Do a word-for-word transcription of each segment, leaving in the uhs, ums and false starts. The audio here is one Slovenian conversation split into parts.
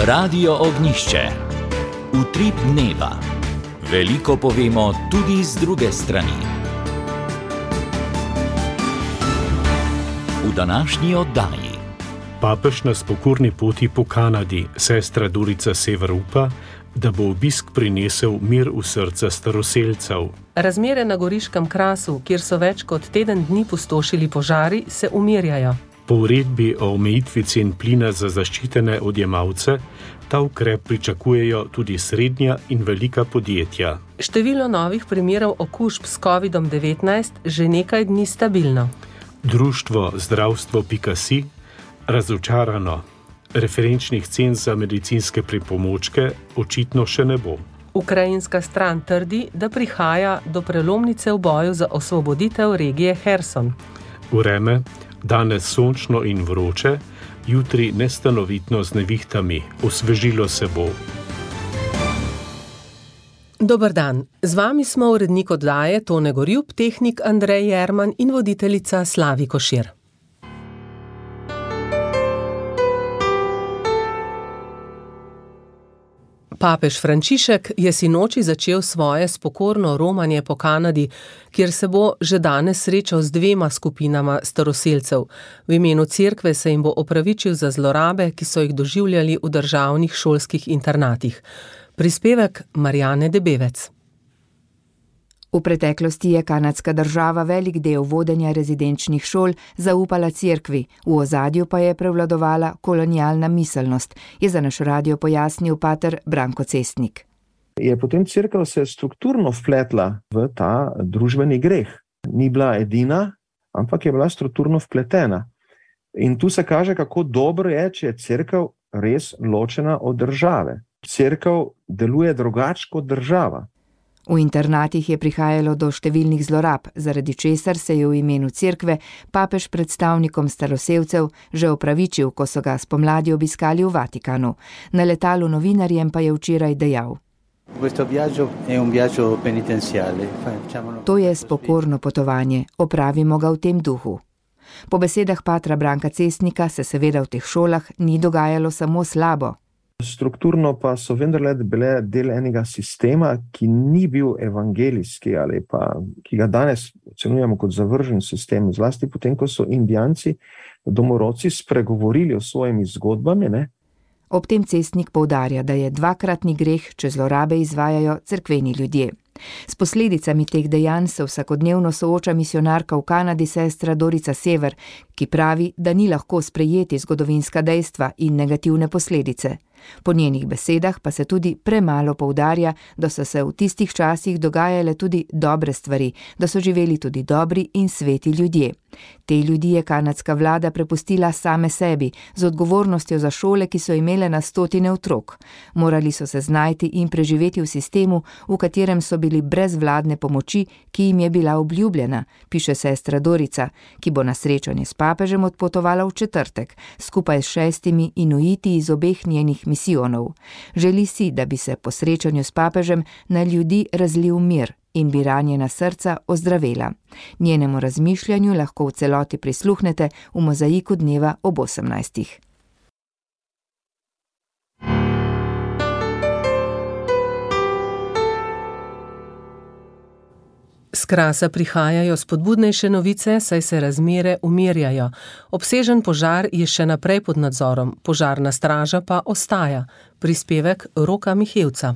Radio Ognjišče. Utrip dneva. Veliko povemo tudi z druge strani. V današnji oddaji. Papež na spokorni poti po Kanadi, sestra Dorica Sever upa, da bo obisk prinesel mir v srca staroselcev. Razmere na Goriškem krasu, kjer so več kot teden dni pustošili požari, se umirjajo. Po uredbi o omejitvi cen plina za zaščitene odjemalce, ta ukrep pričakujejo tudi srednja in velika podjetja. Število novih primerov okužb s kovidom devetnajst že nekaj dni stabilno. Društvo zdravstvo pika si razočarano. Referenčnih cen za medicinske pripomočke očitno še ne bo. Ukrajinska stran trdi, da prihaja do prelomnice v boju za osvoboditev regije Herson. Vreme, danes sončno in vroče, jutri nestanovitno z nevihtami, osvežilo se bo. Dober dan, z vami smo urednik oddaje Tone Gorjup, tehnik Andrej Jerman in voditeljica Slavi Košir. Papež Frančišek je sinoči začel svoje spokorno romanje po Kanadi, kjer se bo že danes srečal z dvema skupinama staroselcev. V imenu cerkve se jim bo opravičil za zlorabe, ki so jih doživljali v državnih šolskih internatih. Prispevek Marjane Debevec. V preteklosti je kanadska država velik del vodenja rezidenčnih šol zaupala cerkvi, v ozadju pa je prevladovala kolonialna miselnost, je za naš radio pojasnil pater Branko Cestnik. Je potem cerkev se strukturno vpletla v ta družbeni greh. Ni bila edina, ampak je bila strukturno vpletena. In tu se kaže, kako dobro je, če je cerkev res ločena od države. Cerkev deluje drugače kot država. V internatih je prihajalo do številnih zlorab, zaradi česar se je v imenu cerkve papež predstavnikom staroselcev že opravičil, ko so ga spomladi obiskali v Vatikanu. Na letalu novinarjem pa je včeraj dejal: To je spokorno potovanje, opravimo ga v tem duhu. Po besedah patra Branka Cestnika se seveda v teh šolah ni dogajalo samo slabo. Strukturno pa so vendarle bile del enega sistema, ki ni bil evangelijski ali pa ki ga danes ocenjujemo kot zavržen sistem, zlasti potem, ko so Indijanci, domorodci spregovorili o svojimi zgodbami, ne? Ob tem Cestnik poudarja, da je dvakratni greh, če zlorabe izvajajo cerkveni ljudje. S posledicami teh dejanj se vsakodnevno sooča misionarka v Kanadi sestra Dorica Sever, ki pravi, da ni lahko sprejeti zgodovinska dejstva in negativne posledice. Po njenih besedah pa se tudi premalo poudarja, da so se v tistih časih dogajale tudi dobre stvari, da so živeli tudi dobri in sveti ljudje. Te ljudi je kanadska vlada prepustila same sebi, z odgovornostjo za šole, ki so imele na stotine otrok. Morali so se znajti in preživeti v sistemu, v katerem so bili brez vladne pomoči, ki jim je bila obljubljena, piše sestra Dorica, ki bo na srečanje s papežem odpotovala v četrtek, skupaj s šestimi inuiti iz obeh njenih misijonov. Želi si, da bi se po srečanju s papežem na ljudi razlil mir in bi ranjena srca ozdravela. Njenemu razmišljanju lahko v celoti prisluhnete v mozaiku dneva ob osemnajstih. S krasa prihajajo spodbudnejše novice, saj se razmere umirjajo. Obsežen požar je še naprej pod nadzorom, požarna straža pa ostaja. Prispevek Roka Mihevca.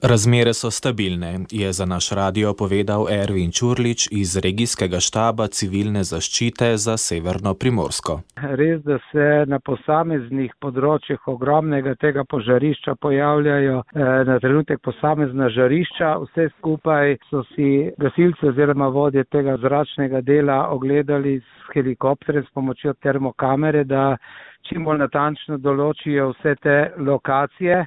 Razmere so stabilne, je za naš radio povedal Ervin Čurlič iz regijskega štaba civilne zaščite za Severno Primorsko. Res, da se na posameznih področjih ogromnega tega požarišča pojavljajo eh, na trenutek posamezna žarišča. Vse skupaj so si gasilci oziroma vodje tega zračnega dela ogledali s helikopterjem s pomočjo termokamere, da čim bolj natančno določijo vse te lokacije.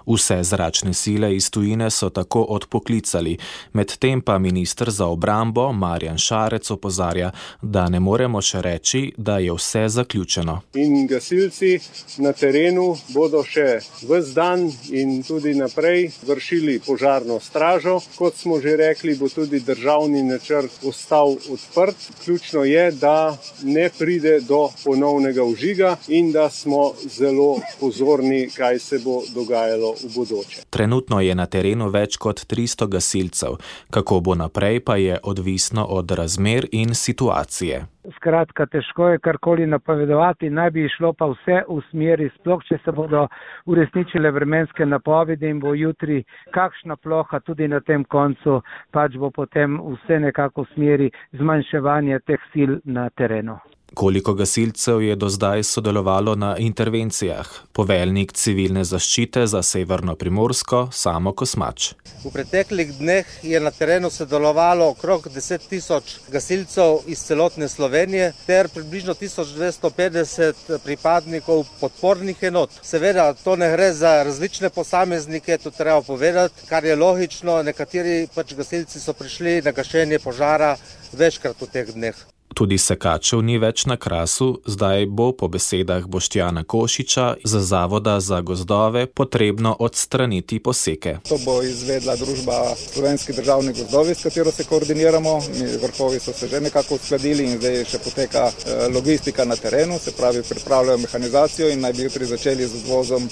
Vse zračne sile iz tujine so tako odpoklicali, medtem pa minister za obrambo Marjan Šarec opozarja, da ne moremo še reči, da je vse zaključeno. In gasilci na terenu bodo še ves dan in tudi naprej vršili požarno stražo. Kot smo že rekli, bo tudi državni načrt ostal odprt. Ključno je, da ne pride do ponovnega vžiga in da smo zelo pozorni, kaj se bo dogajalo v bodoče. Trenutno je na terenu več kot tristo gasilcev. Kako bo naprej, pa je odvisno od razmer in situacije. Skratka, težko je karkoli napovedovati, naj bi šlo pa vse v smeri, sploh če se bodo uresničile vremenske napovedi in bo jutri kakšna ploha tudi na tem koncu, pač bo potem vse nekako v smeri zmanjševanja teh sil na terenu. Koliko gasilcev je do zdaj sodelovalo na intervencijah? Poveljnik civilne zaščite za Severno Primorsko, Samo Kosmač. V preteklih dneh je na terenu sodelovalo okrog deset tisoč gasilcev iz celotne Slovenije ter približno tisoč dvesto petdeset pripadnikov podpornih enot. Seveda, to ne gre za različne posameznike, to treba povedati, kar je logično, nekateri pač gasilci so prišli na gašenje požara večkrat v teh dneh. Tudi sekačev ni več na Krasu, zdaj bo po besedah Boštjana Košiča za Zavoda za gozdove potrebno odstraniti poseke. To bo izvedla družba Slovenski državni gozdovi, s katero se koordiniramo. Mi vrhovi so se že nekako uskladili in zdaj še poteka logistika na terenu, se pravi pripravljajo mehanizacijo in naj bi jutri začeli z odvozom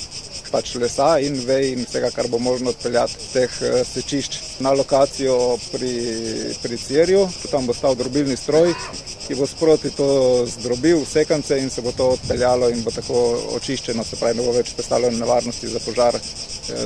pač lesa in vej in vsega, kar bo možno odpeljati teh sečišč na lokacijo pri, pri Cerju. Tam bo stal drobilni stroj, ki bo sproti to zdrobil v sekance in se bo to odpeljalo in bo tako očiščeno, se pravi, ne bo več predstavljeno nevarnosti za požar,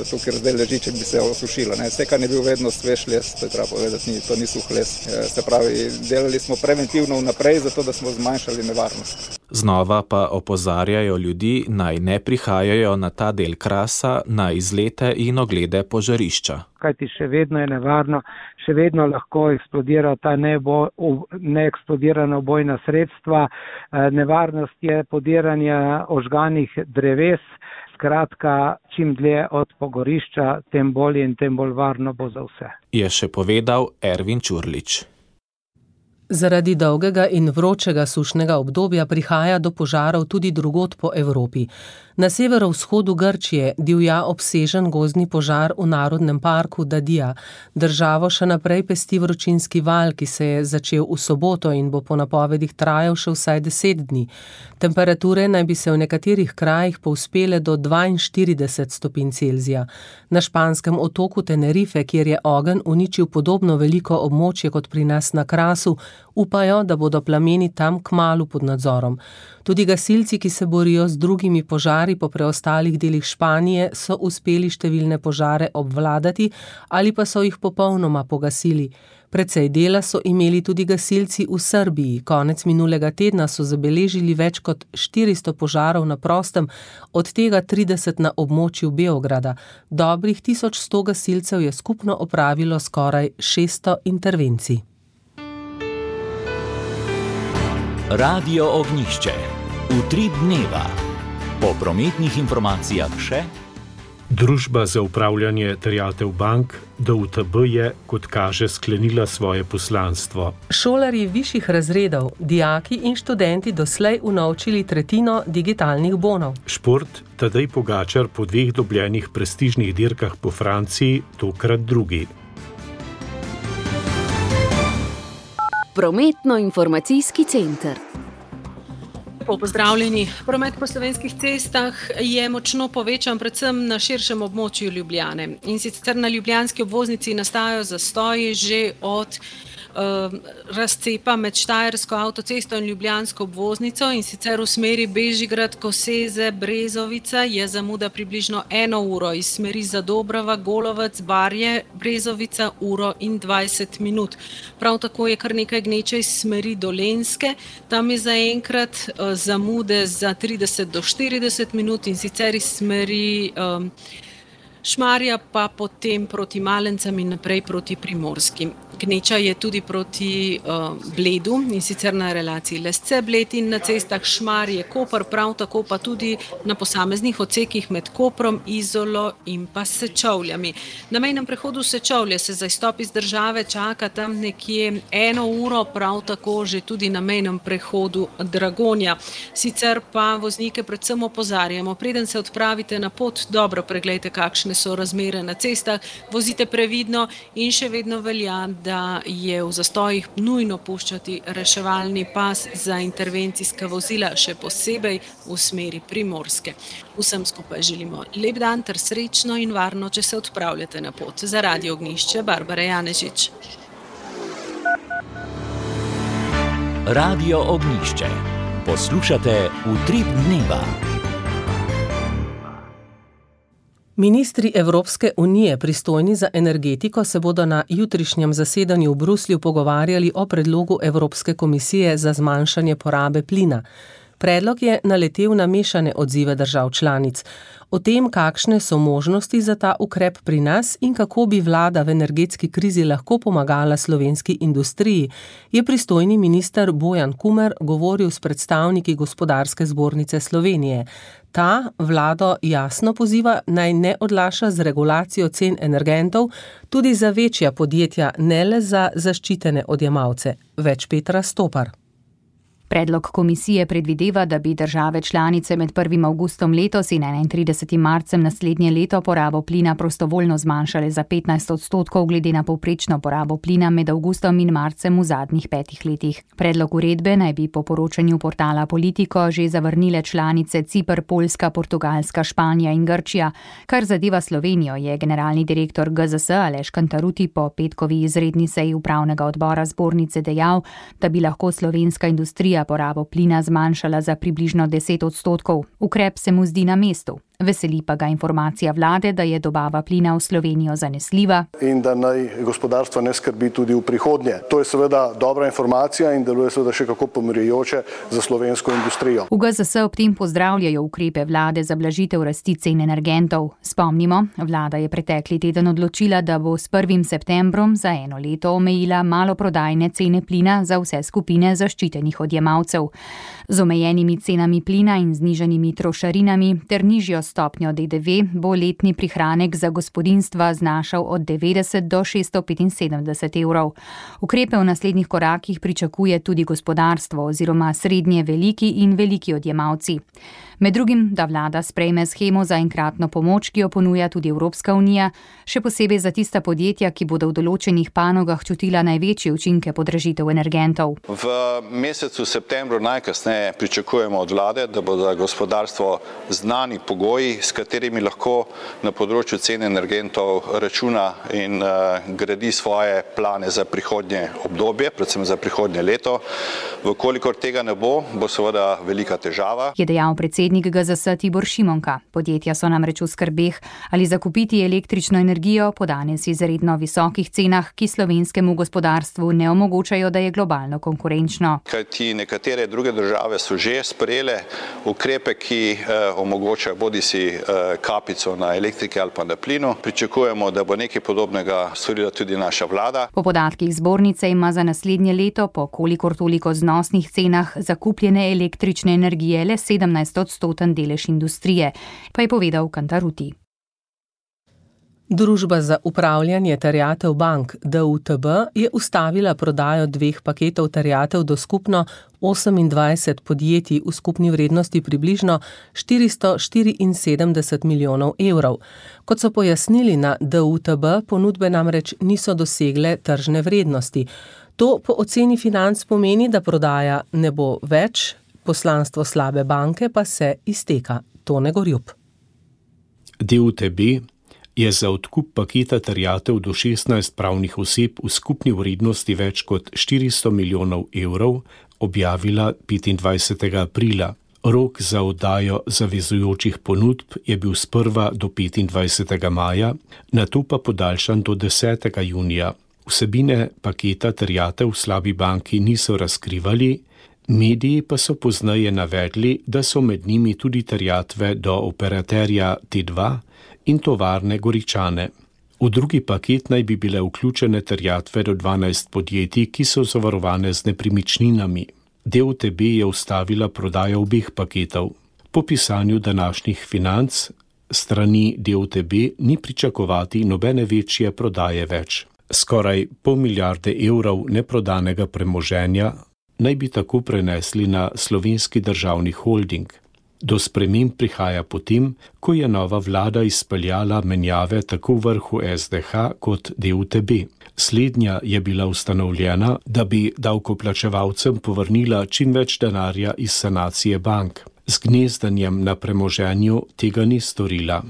tu, kjer zdaj leži, če bi se osušilo. Ne. Sekan je bil vedno svež les, to je treba povedati, ni, to ni suh les. Se pravi, delali smo preventivno vnaprej, zato da smo zmanjšali nevarnost. Znova pa opozarjajo ljudi, naj ne prihajajo na ta del Krasa na izlete in oglede požarišča. Kajti še vedno je nevarno, še vedno lahko eksplodira ta nebo, neeksplodirana ubojna sredstva, nevarnost je podiranja ožganih dreves, skratka, čim dlje od pogorišča, tem bolje in tem bolj varno bo za vse. Je še povedal Ervin Čurlič. Zaradi dolgega in vročega sušnega obdobja prihaja do požarov tudi drugod po Evropi. Na severovzhodu Grčije divja obsežen gozdni požar v narodnem parku Dadija. Državo še naprej pesti vročinski val, ki se je začel v soboto in bo po napovedih trajal še vsaj deset dni. Temperature naj bi se v nekaterih krajih povzpele do dvainštirideset stopinj Celzija. Na španskem otoku Tenerife, kjer je ogenj uničil podobno veliko območje kot pri nas na Krasu, upajo, da bodo plameni tam kmalu pod nadzorom. Tudi gasilci, ki se borijo z drugimi požari po preostalih delih Španije, so uspeli številne požare obvladati ali pa so jih popolnoma pogasili. Precej dela so imeli tudi gasilci v Srbiji. Konec minulega tedna so zabeležili več kot štiristo požarov na prostem, od tega trideset na območju Beograda. Dobrih tisoč sto gasilcev je skupno opravilo skoraj šeststo intervencij. Radio Ognjišče. Utrip dneva. Po prometnih informacijah še. Družba za upravljanje terjatev bank D U T B je, kot kaže, sklenila svoje poslanstvo. Šolarji višjih razredov, dijaki in študenti doslej unovčili tretjino digitalnih bonov. Šport Tadej Pogačar po dveh dobljenih prestižnih dirkah po Franciji, tokrat drugi. Prometno-informacijski center. Pozdravljeni. Promet po slovenskih cestah je močno povečan, predvsem na širšem območju Ljubljane. In sicer na ljubljanski obvoznici nastajajo zastoji že od uh, razcepa med Štajersko avtocesto in ljubljansko obvoznico, in sicer v smeri Bežigrad, Koseze, Brezovica je zamuda približno eno uro, iz smeri Zadobrava, Golovec, Barje, Brezovica uro in dvajset minut. Prav tako je kar nekaj gneče iz smeri Dolenjske, tam je zaenkrat uh, zamude za trideset do štirideset minut, in sicer iz smeri um, Šmarja pa potem proti Malencem in naprej proti Primorski. gneča je tudi proti uh, Bledu, in sicer na relaciji Lesce-Bled in na cestah Šmarje-Koper, prav tako pa tudi na posameznih odsekih med Koprom, Izolo in pa Sečovljami. Na mejnem prehodu Sečovlje se za izstop iz države čaka tam nekje eno uro, prav tako že tudi na mejnem prehodu Dragonja. Sicer pa voznike predvsem opozarjamo, preden se odpravite na pot, dobro preglejte, kakšne so razmere na cestah, vozite previdno in še vedno velja, da je v zastojih nujno puščati reševalni pas za intervencijska vozila, še posebej v smeri Primorske. Vsem skupaj želimo lep dan ter srečno in varno, če se odpravljate na pot. Za Radio Ognjišče, Barbara Janežič. Radio Ognjišče. Poslušate Utrip dneva. Ministri Evropske unije, pristojni za energetiko, se bodo na jutrišnjem zasedanju v Bruslju pogovarjali o predlogu Evropske komisije za zmanjšanje porabe plina. Predlog je naletel na mešane odzive držav članic. O tem, kakšne so možnosti za ta ukrep pri nas in kako bi vlada v energetski krizi lahko pomagala slovenski industriji, je pristojni minister Bojan Kumer govoril s predstavniki Gospodarske zbornice Slovenije. Ta vlado jasno poziva, naj ne odlaša z regulacijo cen energentov tudi za večja podjetja, ne le za zaščitene odjemalce. Več Petra Stopar. Predlog komisije predvideva, da bi države članice med prvim avgustom letos in enaintridesetim marcem naslednje leto porabo plina prostovoljno zmanjšale za petnajst odstotkov glede na povprečno porabo plina med avgustom in marcem v zadnjih petih letih. Predlog uredbe naj bi po poročanju portala Politico že zavrnile članice Ciper, Poljska, Portugalska, Španija in Grčija. Kar zadeva Slovenijo, je generalni direktor G Z S Aleš Kantaruti po petkovi izredni seji upravnega odbora zbornice dejal, da bi lahko slovenska industrija porabo plina zmanjšala za približno deset odstotkov. Ukrep se mu zdi na mestu. Veseli pa ga informacija vlade, da je dobava plina v Slovenijo zanesljiva. In da naj gospodarstvo ne skrbi tudi v prihodnje. To je seveda dobra informacija in deluje seveda še kako pomirjujoče za slovensko industrijo. V G Z S ob tem pozdravljajo ukrepe vlade za blažitev rasti cen energentov. Spomnimo, vlada je pretekli teden odločila, da bo s prvim septembrom za eno leto omejila maloprodajne cene plina za vse skupine zaščitenih odjemalcev. Z omejenimi cenami plina in znižanimi trošarinami ter nižjo stopnjo D D V bo letni prihranek za gospodinjstva znašal od devetdeset do šeststo petinsedemdeset evrov. Ukrepe v naslednjih korakih pričakuje tudi gospodarstvo oziroma srednje veliki in veliki odjemalci. Med drugim, da vlada sprejme shemo za enkratno pomoč, ki jo ponuja tudi Evropska unija, še posebej za tista podjetja, ki bodo v določenih panogah čutila največje učinke podražitev energentov. V mesecu septembru najkasneje pričakujemo od vlade, da bo za gospodarstvo znani pogoji, s katerimi lahko na področju cen energentov računa in uh, gradi svoje plane za prihodnje obdobje, predvsem za prihodnje leto. Vkolikor tega ne bo, bo seveda velika težava. Je dejal predsednik G Z S Tibor Šimonka. Podjetja so namreč v skrbeh, ali zakupiti električno energijo po danes izredno visokih cenah, ki slovenskemu gospodarstvu ne omogočajo, da je globalno konkurenčno. Kajti nekatere druge države so že sprejele ukrepe, ki eh, omogočajo bodisi eh, kapico na elektriki ali pa na plinu. Pričakujemo, da bo nekaj podobnega storila tudi naša vlada. Po podatkih zbornice ima za naslednje leto po kolikor toliko znosnih cenah zakupljene električne energije le sedemnajst odstoten delež industrije, pa je povedal Kantaruti. Družba za upravljanje terjatev bank D U T B je ustavila prodajo dveh paketov terjatev do skupno osemindvajset podjetij v skupni vrednosti približno štiristo štiriinsedemdeset milijonov evrov. Kot so pojasnili na D U T B, ponudbe namreč niso dosegle tržne vrednosti. To po oceni Financ pomeni, da prodaja ne bo več, poslanstvo slabe banke pa se izteka. Tone Gorjup. D U T B je za odkup paketa terjatev do šestnajst pravnih oseb v skupni vrednosti več kot štiristo milijonov evrov objavila petindvajsetega aprila. Rok za oddajo zavezujočih ponudb je bil sprva do petindvajsetega maja, nato pa podaljšan do desetega junija. Vsebine paketa terjatev v slabi banki niso razkrivali, mediji pa so pozneje navedli, da so med njimi tudi terjatve do operaterja T dva in tovarne Goričane. V drugi paket naj bi bile vključene terjatve do dvanajst podjetij, ki so zavarovane z nepremičninami. D U T B je ustavila prodajo obeh paketov. Po pisanju današnjih Financ strani D U T B ni pričakovati nobene večje prodaje več. Skoraj pol milijarde evrov neprodanega premoženja naj bi tako prenesli na Slovenski državni holding. Do sprememb prihaja potem, ko je nova vlada izpeljala menjave tako v vrhu S D H kot D U T B. Slednja je bila ustanovljena, da bi davkoplačevalcem povrnila čim več denarja iz sanacije bank. Z gnezdanjem na premoženju tega ni storila.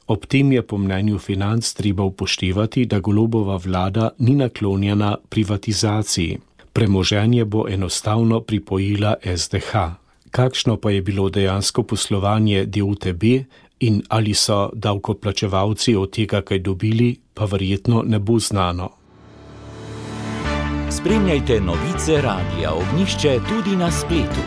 Ob tem je po mnenju Financ treba upoštevati, da Golobova vlada ni naklonjena privatizaciji. Premoženje bo enostavno pripojila S D H. Kakšno pa je bilo dejansko poslovanje D U T B in ali so davkoplačevalci od tega kaj dobili, pa verjetno ne bo znano. Spremljajte novice Radia Ognjišče tudi na spletu.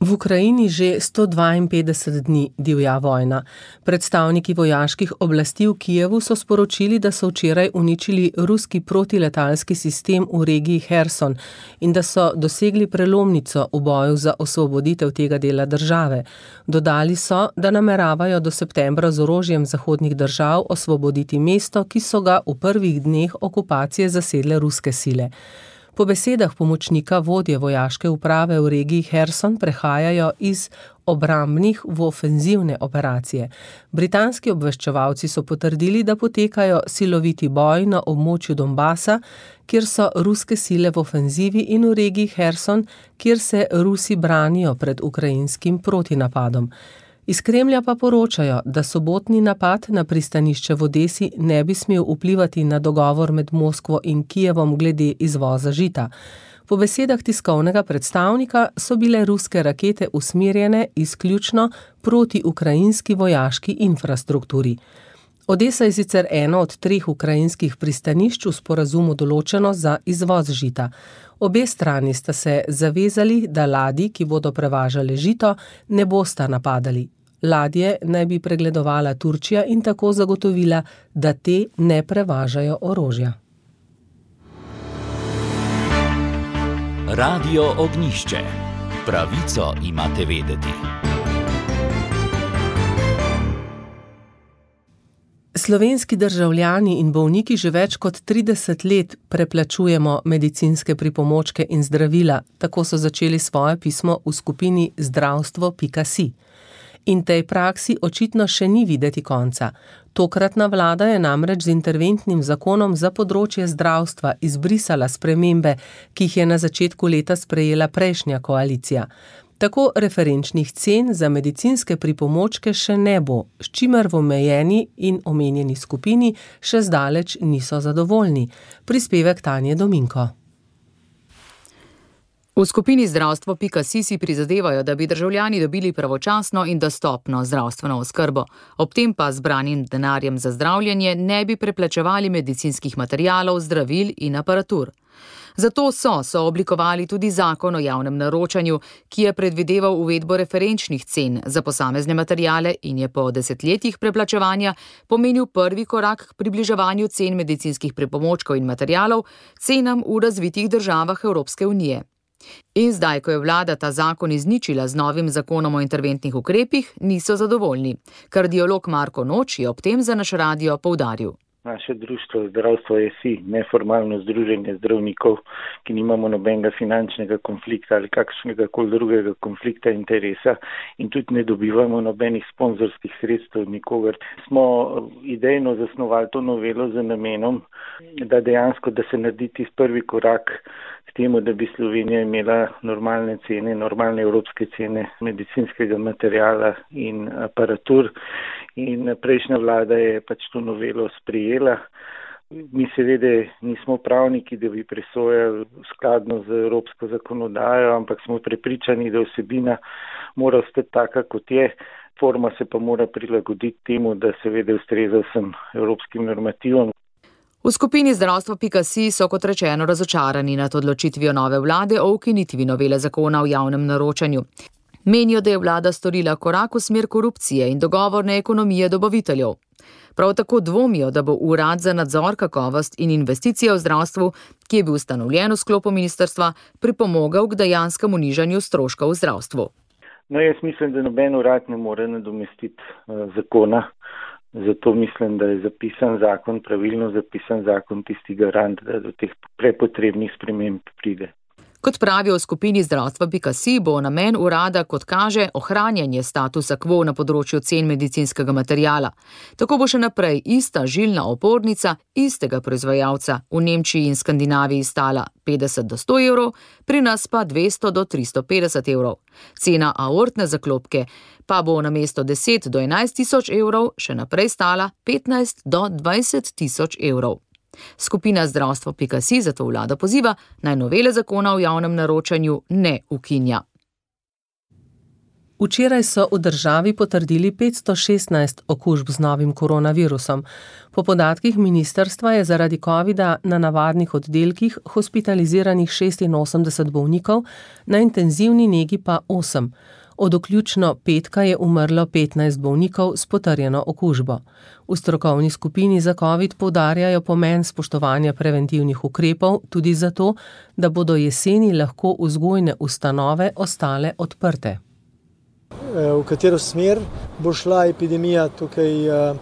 V Ukrajini že sto dvainpetdeset dni divja vojna. Predstavniki vojaških oblasti v Kijevu so sporočili, da so včeraj uničili ruski protiletalski sistem v regiji Herson in da so dosegli prelomnico v boju za osvoboditev tega dela države. Dodali so, da nameravajo do septembra z orožjem zahodnih držav osvoboditi mesto, ki so ga v prvih dneh okupacije zasedle ruske sile. Po besedah pomočnika vodje vojaške uprave v regiji Herson prehajajo iz obrambnih v ofenzivne operacije. Britanski obveščevalci so potrdili, da potekajo siloviti boj na območju Donbasa, kjer so ruske sile v ofenzivi, in v regiji Herson, kjer se Rusi branijo pred ukrajinskim protinapadom. Iz Kremlja pa poročajo, da sobotni napad na pristanišče v Odesi ne bi smel vplivati na dogovor med Moskvo in Kijevom glede izvoza žita. Po besedah tiskovnega predstavnika so bile ruske rakete usmerjene izključno proti ukrajinski vojaški infrastrukturi. Odesa je sicer eno od treh ukrajinskih pristanišč v sporazumu določeno za izvoz žita. Obe strani sta se zavezali, da ladji, ki bodo prevažale žito, ne bosta napadali. Ladje naj bi pregledovala Turčija in tako zagotovila, da te ne prevažajo orožja. Radio Ognjišče. Pravico imate vedeti. Slovenski državljani in bolniki že več kot trideset let preplačujemo medicinske pripomočke in zdravila, tako so začeli svoje pismo v skupini zdravstvo pika si. In tej praksi očitno še ni videti konca. Tokratna vlada je namreč z interventnim zakonom za področje zdravstva izbrisala spremembe, ki jih je na začetku leta sprejela prejšnja koalicija. Tako referenčnih cen za medicinske pripomočke še ne bo, s čimer v omejeni in omenjeni skupini še zdaleč niso zadovoljni. Prispevek Tanje Dominko. V skupini zdravstvo pika si si prizadevajo, da bi državljani dobili pravočasno in dostopno zdravstveno oskrbo. Ob tem pa zbranim denarjem za zdravljenje ne bi preplačevali medicinskih materialov, zdravil in aparatur. Zato so sooblikovali tudi zakon o javnem naročanju, ki je predvideval uvedbo referenčnih cen za posamezne materiale in je po desetletjih preplačevanja pomenil prvi korak k približevanju cen medicinskih pripomočkov in materialov cenam v razvitih državah Evropske unije. In zdaj, ko je vlada ta zakon izničila z novim zakonom o interventnih ukrepih, niso zadovoljni. Kardiolog Marko Noč je ob tem za naš radio poudaril. Naše društvo Zdravstvo je si, neformalno združenje zdravnikov, ki nimamo nobenega finančnega konflikta ali kakšnega koli drugega konflikta interesa in tudi ne dobivamo nobenih sponzorskih sredstev nikogar. Smo idejno zasnovali to novelo z namenom, da dejansko, da se naredi tisti prvi korak k temu, da bi Slovenija imela normalne cene, normalne evropske cene medicinskega materiala in aparatur. In prejšnja vlada je pač to novelo sprejela. Mi seveda nismo pravniki, da bi presojali skladno z evropsko zakonodajo, ampak smo prepričani, da vsebina mora ostati taka, kot je. Forma se pa mora prilagoditi temu, da seveda ustreza vsem evropskim normativom. V skupini zdravstvo pika si so kot rečeno razočarani nad odločitvijo nove vlade o ukinitvi novele zakona o javnem naročanju. Menijo, da je vlada storila korak v smer korupcije in dogovorne ekonomije dobaviteljev. Prav tako dvomijo, da bo Urad za nadzor, kakovost in investicije v zdravstvu, ki je bil ustanovljen v sklopu ministrstva, pripomogel k dejanskemu nižanju stroškov v zdravstvu. No, jaz mislim, da noben urad ne more nadomestiti uh, zakona. Zato mislim, da je zapisan zakon, pravilno zapisan zakon tisti garant, da do teh prepotrebnih sprememb pride. Kot pravijo v skupini zdravstva pika si, bo namen urada, kot kaže, ohranjanje statusa quo na področju cen medicinskega materiala. Tako bo še naprej ista žilna opornica istega proizvajalca v Nemčiji in Skandinaviji stala petdeset do sto evrov, pri nas pa dvesto do tristo petdeset evrov. Cena aortne zaklopke pa bo namesto deset do enajst tisoč evrov še naprej stala petnajst do dvajset tisoč evrov. Skupina zdravstvo pika si zato vlado poziva, naj novele zakona o javnem naročanju ne ukinja. Včeraj so v državi potrdili petsto šestnajst okužb z novim koronavirusom. Po podatkih ministrstva je zaradi covida na navadnih oddelkih hospitaliziranih šestinosemdeset bolnikov, na intenzivni negi pa osem. Od vključno petka je umrlo petnajst bolnikov s potrjeno okužbo. V strokovni skupini za covid poudarjajo pomen spoštovanja preventivnih ukrepov tudi zato, da bodo jeseni lahko vzgojne ustanove ostale odprte. V katero smer bo šla epidemija, tukaj uh,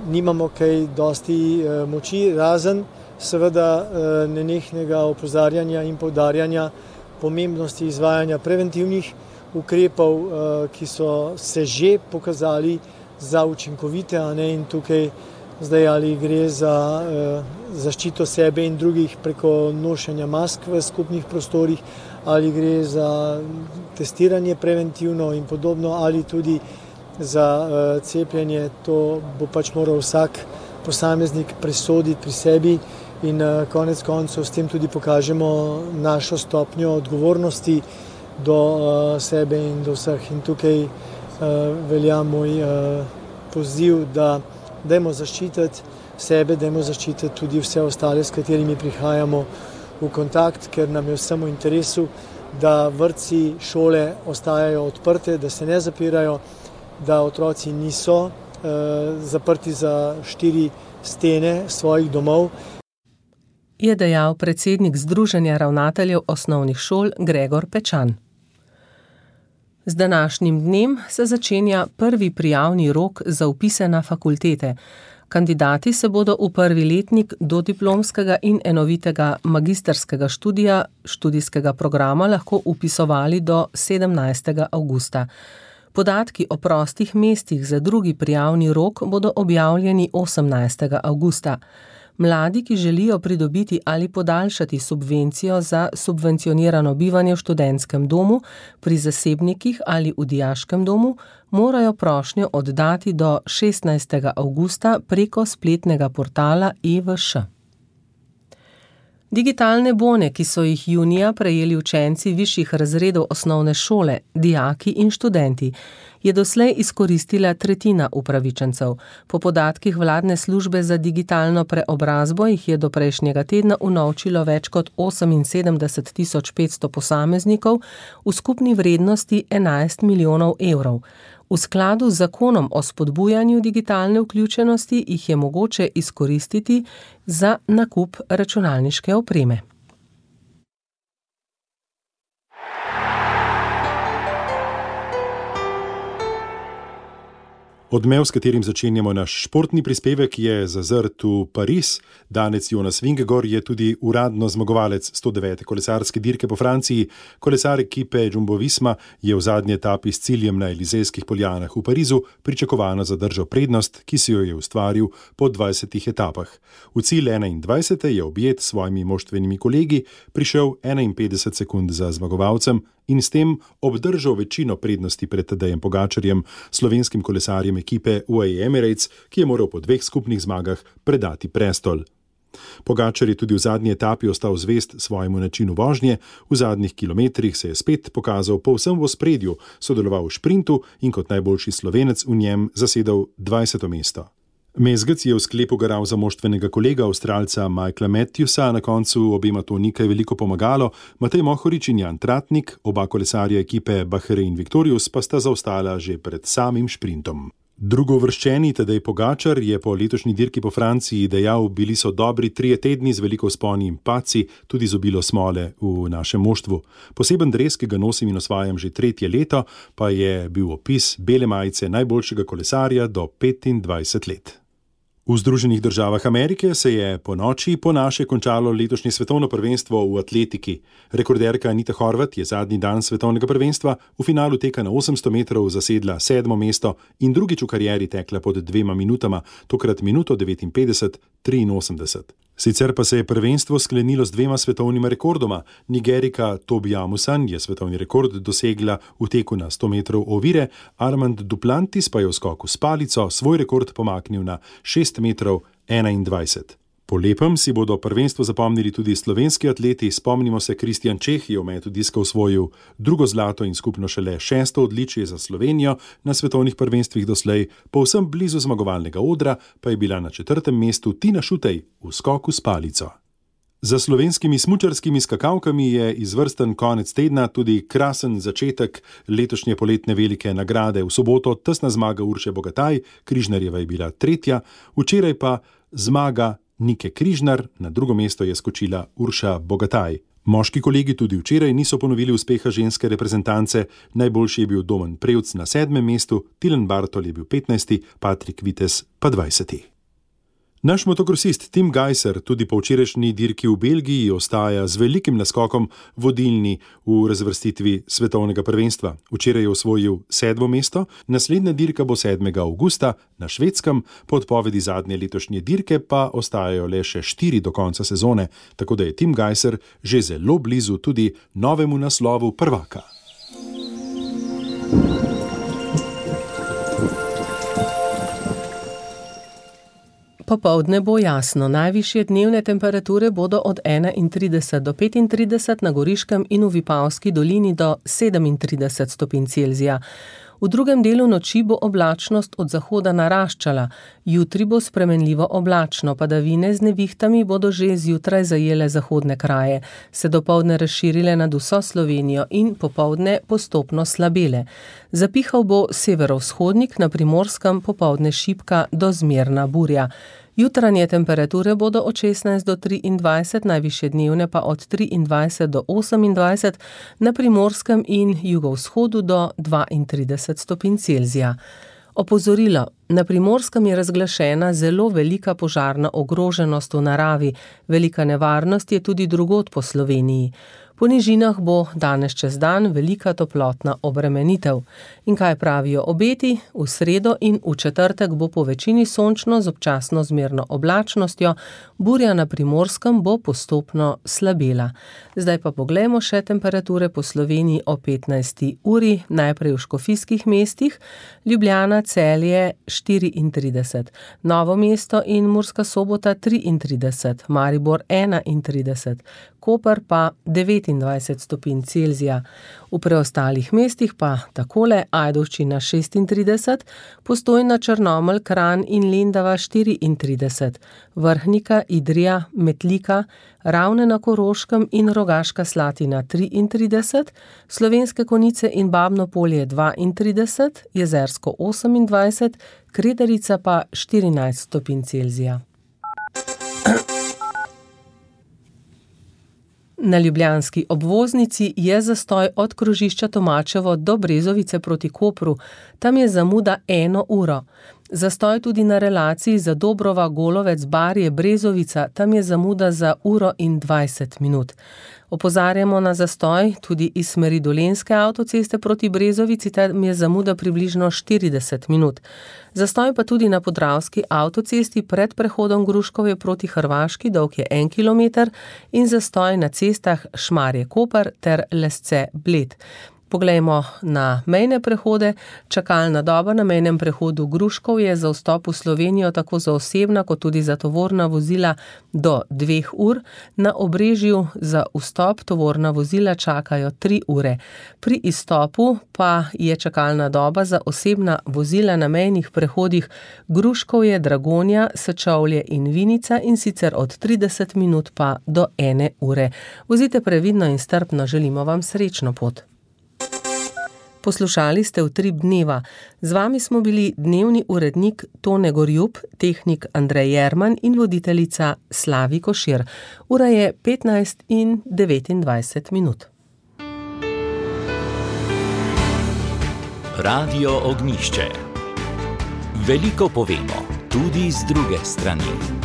nimamo kaj dosti uh, moči, razen seveda uh, nenehnega opozarjanja in poudarjanja pomembnosti izvajanja preventivnih ukrepov, ki so se že pokazali za učinkovite, a ne, in tukaj zdaj ali gre za zaščito sebe in drugih preko nošenja mask v skupnih prostorih, ali gre za testiranje preventivno in podobno, ali tudi za cepljenje, to bo pač moral vsak posameznik presoditi pri sebi in konec koncev s tem tudi pokažemo našo stopnjo odgovornosti do uh, sebe in do vseh. In tukaj uh, velja moj uh, poziv, da dajmo zaščititi sebe, dajmo zaščititi tudi vse ostale, s katerimi prihajamo v kontakt, ker nam je vsem v interesu, da vrtci, šole ostajajo odprte, da se ne zapirajo, da otroci niso uh, zaprti za štiri stene svojih domov. Je dejal predsednik Združenja ravnateljev osnovnih šol Gregor Pečan. Z današnjim dnem se začenja prvi prijavni rok za vpise na fakultete. Kandidati se bodo v prvi letnik dodiplomskega in enovitega magistrskega študija študijskega programa lahko vpisovali do sedemnajstega avgusta. Podatki o prostih mestih za drugi prijavni rok bodo objavljeni osemnajstega avgusta. Mladi, ki želijo pridobiti ali podaljšati subvencijo za subvencionirano bivanje v študentskem domu, pri zasebnikih ali v dijaškem domu, morajo prošnjo oddati do šestnajstega avgusta preko spletnega portala E V Š. Digitalne bone, ki so jih junija prejeli učenci višjih razredov osnovne šole, dijaki in študenti, je doslej izkoristila tretjina upravičencev. Po podatkih vladne službe za digitalno preobrazbo jih je do prejšnjega tedna unovčilo več kot oseminsedemdeset tisoč petsto posameznikov v skupni vrednosti enajst milijonov evrov. V skladu z zakonom o spodbujanju digitalne vključenosti jih je mogoče izkoristiti za nakup računalniške opreme. Odmev, s katerim začenjamo naš športni prispevek, je zazrt v Pariz. Danec Jonas Vingegaard je tudi uradno zmagovalec sto devete kolesarske dirke po Franciji. Kolesar ekipe Jumbo Visma je v zadnji etapi s ciljem na Elizejskih poljanah v Parizu pričakovano zadržal prednost, ki si jo je ustvaril po dvajsetih etapah. V cilj enaindvajsete je objet s svojimi moštvenimi kolegi prišel enainpetdeset sekund za zmagovalcem in s tem obdržal večino prednosti pred Tadejem Pogačarjem, slovenskim kolesarjem ekipe U A E Emirates, ki je moral po dveh skupnih zmagah predati prestol. Pogačar je tudi v zadnji etapi ostal zvest svojemu načinu vožnje, v zadnjih kilometrih se je spet pokazal povsem v ospredju, sodeloval v šprintu in kot najboljši Slovenec v njem zasedal dvajseto mesto. Mezgec je v sklepu garal za moštvenega kolega Avstralca Michaela Matthewsa, na koncu obema to ni kaj veliko pomagalo. Matej Mohorič in Jan Tratnik, oba kolesarja ekipe Bahrein Victorious, pa sta zaostala že pred samim šprintom. Drugovrščeni Tadej Pogačar je po letošnji dirki po Franciji dejal: bili so dobri trije tedni z veliko vzponi in padci, tudi z obilo smole v našem moštvu. Poseben dres, ki ga nosim in osvajam že tretje leto, pa je bil opis bele majice najboljšega kolesarja do petindvajset let. V Združenih državah Amerike se je po noči po naše končalo letošnje svetovno prvenstvo v atletiki. Rekorderka Anita Horvat je zadnji dan svetovnega prvenstva v finalu teka na osemsto metrov zasedla sedmo mesto in drugič v karieri tekla pod dvema minutama, tokrat minuto devetinpetdeset triinosemdeset. Sicer pa se je prvenstvo sklenilo z dvema svetovnima rekordoma. Nigerika Tobi Amusan je svetovni rekord dosegla v teku na sto metrov ovire, Armand Duplantis pa je v skoku s palico svoj rekord pomaknil na šest metrov enaindvajset. Po lepem si bodo prvenstvo zapomnili tudi slovenski atleti. Spomnimo se, Kristjan Čeh je v metu diska osvojil drugo zlato in skupno šele šesto odličje za Slovenijo na svetovnih prvenstvih doslej, povsem blizu zmagovalnega odra pa je bila na četrtem mestu Tina Šutej v skoku s palico. Za slovenskimi smučarskimi skakalkami je izvrsten konec tedna tudi krasen začetek letošnje poletne velike nagrade. V soboto tesna zmaga Urše Bogataj, Križnarjeva je bila tretja, včeraj pa zmaga Nike Križnar, na drugo mesto je skočila Urša Bogataj. Moški kolegi tudi včeraj niso ponovili uspeha ženske reprezentance, najboljši je bil Domen Prevc na sedmem mestu, Tilen Bartol je bil petnajsti, Patrik Vitez pa dvajseti. Naš motokrosist Tim Gajser tudi po včerajšnji dirki v Belgiji ostaja z velikim naskokom vodilni v razvrstitvi svetovnega prvenstva. Včeraj je osvojil sedmo mesto, naslednja dirka bo sedmega avgusta na Švedskem, po odpovedi zadnje letošnje dirke pa ostajajo le še štiri do konca sezone, tako da je Tim Gajser že zelo blizu tudi novemu naslovu prvaka. Popoldne bo jasno, najvišje dnevne temperature bodo od enaintrideset do petintrideset, na Goriškem in v Vipavski dolini do sedemintrideset stopinj Celzija. V drugem delu noči bo oblačnost od zahoda naraščala, jutri bo spremenljivo oblačno, padavine z nevihtami bodo že zjutraj zajele zahodne kraje, se dopoldne razširile nad vso Slovenijo in popoldne postopno slabele. Zapihal bo severovzhodnik, na Primorskem popoldne šibka do zmerna burja. Jutranje temperature bodo od šestnajst do triindvajset, najvišje dnevne pa od triindvajset do osemindvajset, na Primorskem in jugovzhodu do dvaintrideset stopinj Celzija. Opozorilo, na Primorskem je razglašena zelo velika požarna ogroženost v naravi, velika nevarnost je tudi drugod po Sloveniji. Po nižinah bo danes čez dan velika toplotna obremenitev. In kaj pravijo obeti? V sredo in v četrtek bo po večini sončno z občasno zmerno oblačnostjo, burja na Primorskem bo postopno slabela. Zdaj pa poglejmo še temperature po Sloveniji o petnajsti uri, najprej v škofijskih mestih, Ljubljana, Celje štiriintrideset, Novo mesto in Murska Sobota triintrideset, Maribor enaintrideset, Koper pa devetindvajset stopinj Celzija. V preostalih mestih pa takole: Ajdovščina šestintrideset, Postojna, Črnomelj, Kranj in Lendava štiriintrideset, Vrhnika, Idrija, Metlika, Ravne na Koroškem in Rogaška Slatina triintrideset, Slovenske Konjice in Babno Polje dvaintrideset, Jezersko osemindvajset, Kredarica pa štirinajst stopinj Celzija. Na ljubljanski obvoznici je zastoj od krožišča Tomačevo do Brezovice proti Kopru. Tam je zamuda eno uro. Zastoj tudi na relaciji za Dobrova, Golovec, Barje, Brezovica, tam je zamuda za uro in dvajset minut. Opozarjamo na zastoj tudi iz smeri Dolenjske avtoceste proti Brezovici, tam je zamuda približno štirideset minut. Zastoj pa tudi na Podravski avtocesti pred prehodom Gruškovje proti Hrvaški, dolg je en kilometer, in zastoj na cestah Šmarje-Koper ter Lesce-Bled. Poglejmo na mejne prehode. Čakalna doba na mejnem prehodu Gruškov je za vstop v Slovenijo tako za osebna kot tudi za tovorna vozila do dveh ur. Na Obrežju za vstop tovorna vozila čakajo tri ure. Pri izstopu pa je čakalna doba za osebna vozila na mejnih prehodih Gruškovje, Dragonja, Sečovlje in Vinica, in sicer od trideset minut pa do ene ure. Vozite previdno in strpno, želimo vam srečno pot. Poslušali ste Utrip dneva. Z vami smo bili dnevni urednik Tone Gorjup, tehnik Andrej Jerman in voditeljica Slavi Košir. Ura je petnajst in devetindvajset minut. Radio Ognjišče. Veliko povemo, tudi z druge strani.